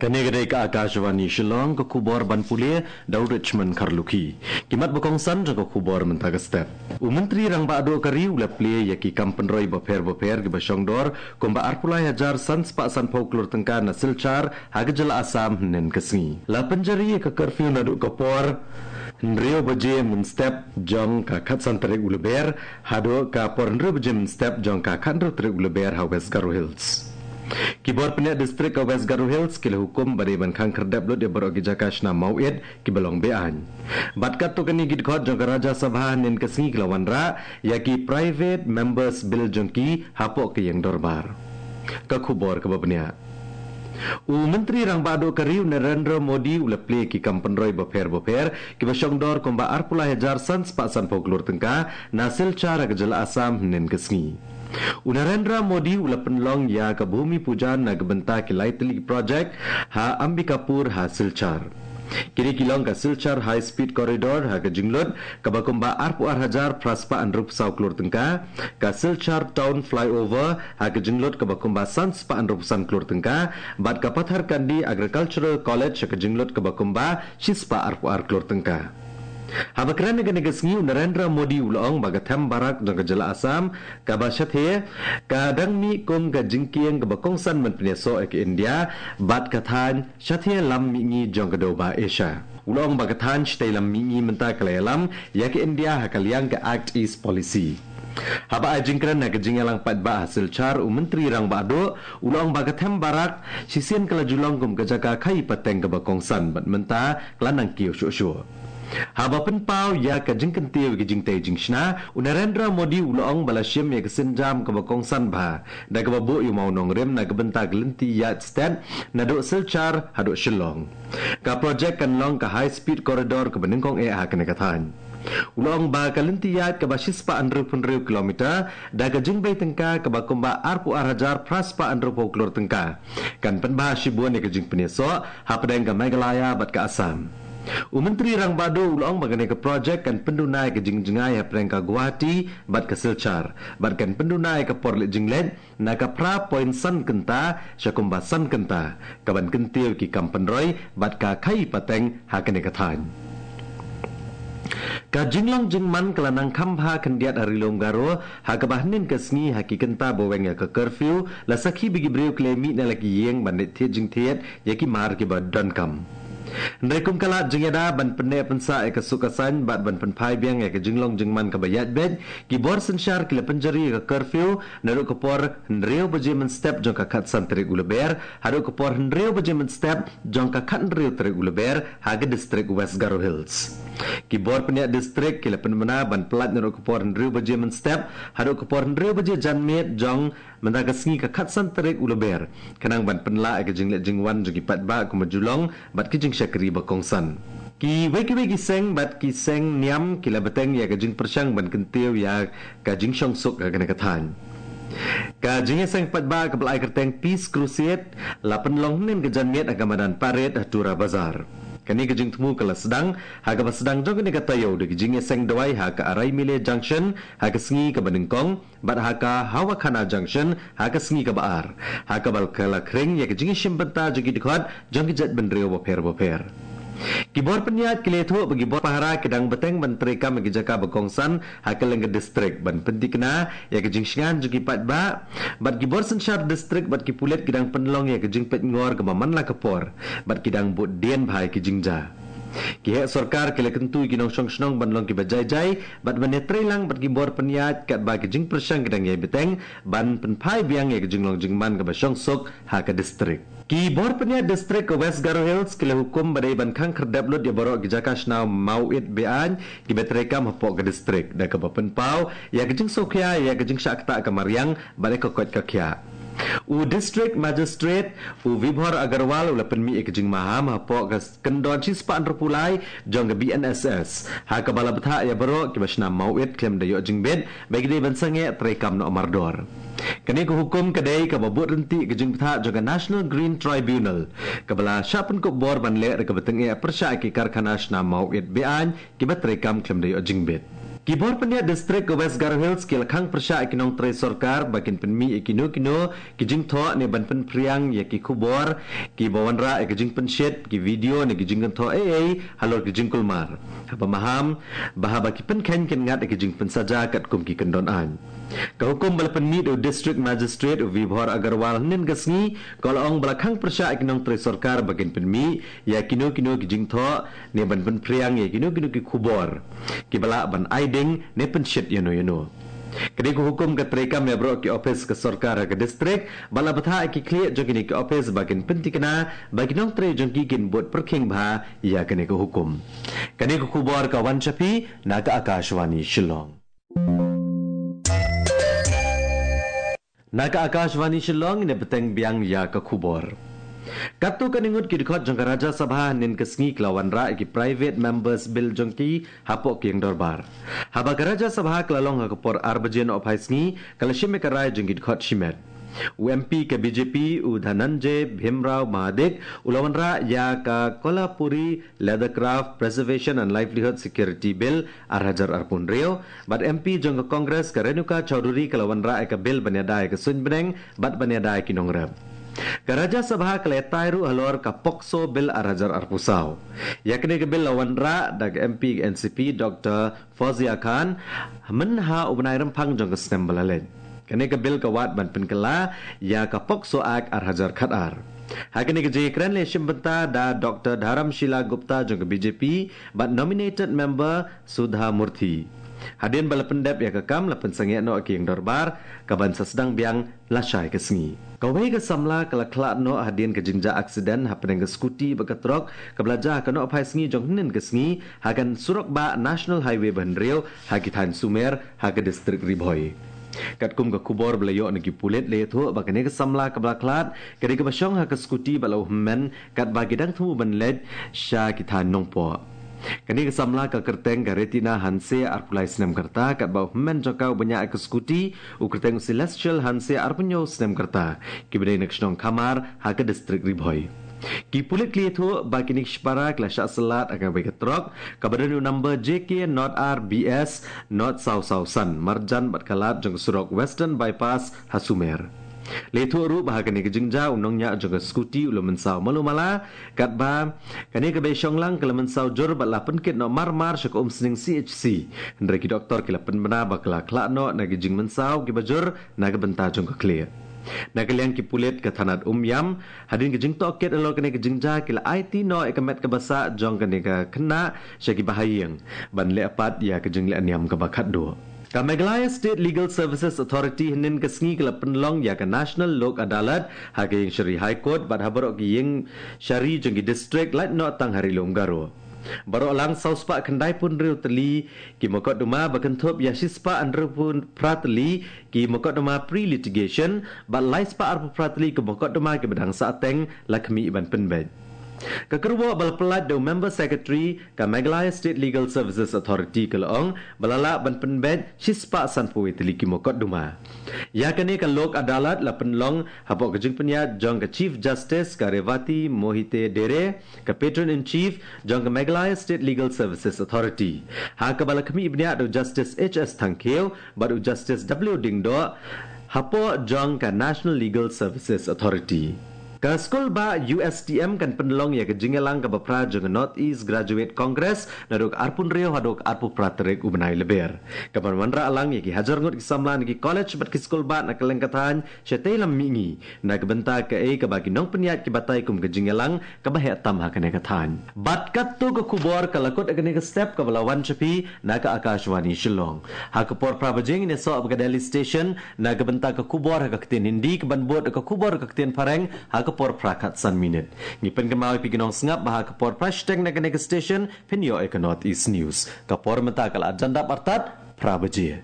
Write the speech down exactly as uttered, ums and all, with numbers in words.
Kane ka dei ka Akashvani Shillong, ka khubor ban pule da u Richmond Kharlukhi. Ki mat ba kongsan jong ka khubor mynta ka step. U Myntri Rangbah Duh ka ri u la plie ïa ki kam pynroi bapher bapher kiba shongdor kumba arphew lai hajar san spah sanphew klur tyngka na Silchar ha ka jylla Assam hynnin ka sngi. La pynjari ïa ka curfew naduh ka por hynriew baje mynstep jong ka khatsan tarik u Lber haduh ka por hynriew baje mynstep jong ka khathynriew tarik u Lber ha West Garo Hills. Ki bor pynïaid distrik ka West Garo Hills ki la hukum ba dei ban khang khyrdep lut ïa baroh ki jaka shna mawit kiba long be-aiñ. Bad katto katne ki dkhot jong ka Rajya Sabha hynnin ka sngi ki la wanrah ïa ki Private Members Bill jong ki hapoh ka ïing dorbar. Ka khubor kaba bniah. U Myntri Rangbah Duh ka ri u Narendra Modi u la plie ki kam pynroi bapher bapher kiba shongdor kumba arphew lai hajar san spah sanphew klur tyngka na Silchar ha ka jylla Assam hynnin ka sngi. U Narendra Modi u la pynlong ïa ka Bhumi Pujan na ka bynta ki lai tylli ki projek ha Ambikapur ha Silchar. Kine ki long ka Silchar High Speed Corridor ha ka jinglut kaba kumba arphew ar hajar phra spah hynriewphew saw klur tyngka, ka Silchar Town Flyover ha ka jinglut kaba kumba san spah hynriewphew san klur tyngka, bad ka Patharkandi Agricultural College ha ka jinglut kaba kumba shi spah arphew ar klur tyngka. Haba kren ha kane ka sngi u Narendra Modi u la ong ba ka them barak jong ka jylla Assam kaba shathie ka dang mih kum ka jingkieng kaba kongsan ban pynïasoh ïa ka India bad ka thaiñ shathie lam mihngi jong ka dewbah Asia. U la ong ba ka thaiñ shatei lam mihngi mynta ka la ïalam ïa ka India ha ka liang ka Act East Policy. Haba ai jingkren ha ka jingïalang paidbah ha Silchar u Myntri Rangbah Duh u la ong ba ka them barak shisien ka la ju long kum ka jaka khaii pateng kaba kongsan bad mynta ka la nang kiew shuh shuh. Haba pynpaw ïa ka jingkyntiew ïa ka jingtei jingshna, u Narendra Modi u la ong ba la shim ïa ka sienjam kaba kongsan bha da kaba buh ïa u mawnongrim na ka bynta ka lynti ïaid stet naduh Silchar haduh Shillong. Ka projek kan long ka High Speed Corridor kaba nyngkong eh ha kane ka thaiñ. U la ong ba ka lynti ïaid kaba shi spah hynriewphew hynriew kilometer da ka jingbei tyngka kaba kumba arphew ar hajar phra spah hynriewphew klur tyngka kan pynbha shibun ïa ka jingpynïasoh hapdeng ka Meghalaya bad ka Assam. U Myntri Rangbah Duh u la ong ba kane ka projek kan pynduna ïa ka jingjngai hapdeng ka Guwahati bad ka Silchar bad kan pynduna ïa ka por leit jingleit na ka phra point san kynta sha kumba san kynta, kaban kyntiew ïa ki kam pynroi bad ka khaii pateng ha kane ka thaiñ. Ka jinglong jingman ka la nang kham bha khyndiat ha Ri Lum Garo ha kaba hynnin ka sngi ha ki kynta ba weng ïa ka curfew la sakhi ba ki briew ki la mih na la ki ïing ban leit thied jingthied ïa ki mar kiba donkam. Hynrei kum ka lad jingïada ban pynneh pynsah ïa ka suk ka saiñ bad ban pynphai biang ïa ka jinglong jingman kaba ïaid beit, ki bor synshar ki la pynjari ïa ka curfew naduh ka por hynriew baje mynstep jong ka khatsan tarik u Lber haduh ka por hynriew baje mynstep jong ka khathynriew tarik u Lber ha ka distrik West Garo Hills. Ki bor pynïaid distrik ki la pynbna ban pyllait naduh ka por hynriew baje mynstep haduh ka por hynriew baje janmiet jong mynta ka sngi ka khatsan tarik u Lber, khnang ban pynlah ïa ka jingleit jingwan jong ki paidbah kumba ju long bad ki jingshakri ba kongsan. Kiwei kiwei ki seng bad ki seng niam ki la bteng ïa ka jingpyrshang ban kyntiew ïa ka jingshongsuk ha kane ka thaiñ. Ka jingïaseng paidbah kaba la ai kyrteng Peace Crusade la pynlong hynnin ka janmiet ha ka madan Parade ha Tura Bazar. Kane ka jingthmu ka la sdang ha kaba sdang jong kane ka taïew da ka jingïaseng dawai ha ka Araimile Junction ha ka sngi kaba nyngkong bad ha ka Hawakhana Junction ha ka sngi kaba ar, ha kaba ka la khring ïa ka jingïashim bynta jong ki dkhot jong ki jaitbynriew bapher bapher. Ki bor pynïaid ki la ïathuh ba ki bor pahara ki dang bteng ban treikam ïa ki jaka ba kongsan ha kylleng ka distrik ban pynthikna ïa ka jingshngaiñ jong ki paidbah, bad ki bor synshar distrik bad ki pulit ki dang pynlong ïa ka jingpeitngor kaba man la ka por bad ki dang bud dien bha ïa ki jingjia. Ki heh sorkar ki la kyntu ïa ki nongshong shnong ban long kiba jai jai bad ban ïatreilang bad ki bor pynïaid katba ki jingpyrshang ki dang ïai bteng ban pynphai biang ïa ka jinglong jingman kaba shongsuk ha ka distrik. Ki bor pynïaid distrik ka West Garo Hills ki la hukum ba dei ban khang khyrdep lut ïa baroh ki jaka shna mawit be-aiñ kiba treikam hapoh ka distrik da kaba pynpaw ïa ka jingsngewkhia ïa ka jingshah ktah ka mariang bad ïa ka koit ka khiah. U District Magistrate u Vibhor Agarwal u la pynmih ïa ka jingmaham hapoh ka kyndon shispah hynriewphew lai jong ka B N S S ha kaba la bthah ïa baroh kiba shna mawit khlem da ïoh jingbit ba ki dei ban sangeh treikam noh mardor. Kane ka hukum ka dei kaba bud ryntih ka jingbthah jong ka National Green Tribunal kaba la shah pynkup bor ban leh da kaba tyngeh pyrshah ïa ki karkhana shna mawit be-aiñ kiba treikam khlem da ïoh jingbit. Ki bor pynïaid district ka West Garo Hills ki la khang pyrshah ïa ki nongtrei sorkar ba kin pynmih ïa kino kino ki jingthoh ne ban pynphriang ïa ki khubor kiba wanrah ïa ka jingpynshit, ki video ne ki jingkynthoh ei ei halor ki jingkulmar, haba maham ba haba ki pynkheiñ kin ngat ïa ki jingpynsaja katkum ki kyndon aiñ. Ka hukum ba la pynmih da u District Magistrate u Vibhor Agarwal hynnin ka sngi ka la ong ba la khang pyrshah ïa ki nongtrei sorkar ba kin pynmih ïa kino kino ki jingthoh ne ban pynphriang ïa kino kino ki khubor kiba lah ban ai ding ne pynshit ïano ïano. Kane ka hukum ka treikam ïa baroh ki ophis ka sorkar ha ka district bad la bthah ïa ki khlieh jong kine ki ophis ba kin pynthikna ba ki nongtrei jong ki kin bud pyrkhing bha ïa kane ka hukum. Kane ka khubor ka wan sha phi na ka Akashvani Shillong. Na ka Akashvani Shillong, ngin ïa bteng biang ïa ka khubor. Katto katne ngut ki dkhot jong ka Rajya Sabha hynnin ka sngi ki la wanrah ïa ki Private Members Bill jong ki hapoh ka ïing dorbar. Haba ka Rajya Sabha ka la long ha ka por ar baje nohphai sngi, ka la shim ïa ka rai jong ki dkhot shimet. U M P ka B J P u Dhananjay Bhimrao Mahadik u la wanrah ïa ka Kolhapuri Leather Craft Preservation and Livelihood Security Bill ar hajar arphew hynriew, bad M P jong ka Congress ka Renuka Chowdhury ka la wanrah ïa ka bill ban ïada ïa ka suiñ bneng bad ban ïada ïa ki nongrep. Ka Rajya Sabha ka la ïatai ruh halor ka POCSO Bill ar hajar arphew saw. Ïa kane ka bill la wanrah da ka M P N C P Doctor Fozia Khan mynha u bnai Rymphang jong ka snem ba la leit. Kane ka bill ka wad ban pynkylla ïa ka POCSO Act ar hajar khatar. Ha kane ka jingïakren la shim bynta da Doctor Dharamshila Gupta jong ka B J P bad nominated member Sudha Murthy. Hadien ba la pyndep ïa ka kam, la pynsangeh noh ïa ka ïing dorbar, ka ban sa sdang biang lashai ka sngi. Kawei ka samla ka la khlad noh hadien ka jingjia aksiden hapdeng ka skuti bad ka trok kaba la jia ha ka nohphai sngi jong hynnin ka sngi ha ka surok bah National Highway ba hynriew ha ki thaiñ Sumer ha ka district Ri Bhoi. Katkum ka khubor ba la ïoh na ki pulit, la ïathuh ba kane ka samla kaba la khlad ka dei kaba shong ha ka skuti bad la u hynmen katba ki dang thmu ban leit sha ki thaiñ Nongpoh. Kane ka samla ka kyrteng ka Retina Hanse, arphew lai snem ka rta, katba u hynmen jong ka uba ñiah ïa ka skuti u kyrteng u Celestial Hanse, arphew hynñiew snem ka rta, kiba dei na ka shnong Khamar ha ka district Ri Bhoi. Ki pulit ki la ïathuh ba kine ki shipara ki la shah syllat ha kawei ka trok kaba don u number J K nought R B S nought saw saw san, marjan bad ka lad jong ka surok Western Bypass ha Sumer. La ïathuh ruh ba ha kane ka jingjia u nongñiah jong ka skuti u la mynsaw malu mala, katba kane kaba shong lang ka la mynsaw jur bad la pynkit noh mar mar sha ka Umsning C H C. Hynrei ki doktor ki la pynbna ba ka la khlad noh na ki jingmynsaw kiba jur na ka bynta jong ka khlieh. Na ka liang ki pulit ka thanat Umiam, hadien ka jingtohkit halor kane ka jingjia, ki la aiti noh ïa ka met kaba sah jong kane ka khynnah sha ki bahaïing ban leh pat ïa ka jingleh niam kaba khatduh. Ka Meghalaya State Legal Services Authority hynnin ka sngi ka la pynlong ïa ka National Lok Adalat ha ka Ïingshari High Court bad ha baroh ki ïingshari jong ki district, lait noh tang ha Ri Lum Garo. Baroh lang saw spah khyndai phew hynriew tylli ki mokotduma, ba kynthup ïa shi spah hynriewphew phra tylli ki mokotduma pre-litigation bad lai spah arphew phra tylli ki mokotduma kiba dang sahteng, la khmih ban pynbeit. Ka kyrwoh ba la pyllait da u Member Secretary ka Meghalaya State Legal Services Authority ka la ong ba la lah ban pynbeit shi spah sanphew wei tylli ki mokotduma. Ïa kane ka Lok Adalat la pynlong hapoh ka jingpynïaid jong ka Chief Justice ka Revati Mohite Dere, ka Patron in Chief jong ka Meghalaya State Legal Services Authority, ha kaba la khmih bniah da u Justice H S Thangkhiew bad u Justice W Diengdoh, hapoh jong ka National Legal Services Authority. Ka skul bah U S T M kan pynlong ïa ka jingïalang kaba phra jong ka North East Graduate Congress naduh ka arphew hynriew haduh ka arphew phra tarik u bnai Lber, kaban wanrah lang ïa ki hajar ngut ki samla na ki college bad ki skul bah na kylleng ka thaiñ shatei lam mihngi, na ka bynta kaei kaba ki nongpynïaid ki batai kum ka jingïalang kaba heh tam ha kane ka thaiñ. Bad katto ka khubor ka la kut ha kane ka step, kaba la wan sha phi na ka Akashvani Shillong. Ha ka por phra baje ngin ïasoh bad ka Delhi Station na ka bynta ka khubor ha ka ktien Hindi, kaban bud ka khubor ha ka ktien Phareng ha ka por phra khatsan minit. Ngi pynkynmaw ïa phi ki nongsngap ba ha ka por phra shiteng na kane ka station phin ïoh ïa ka North East News. Ka por mynta ka la jan dap artat phra baje.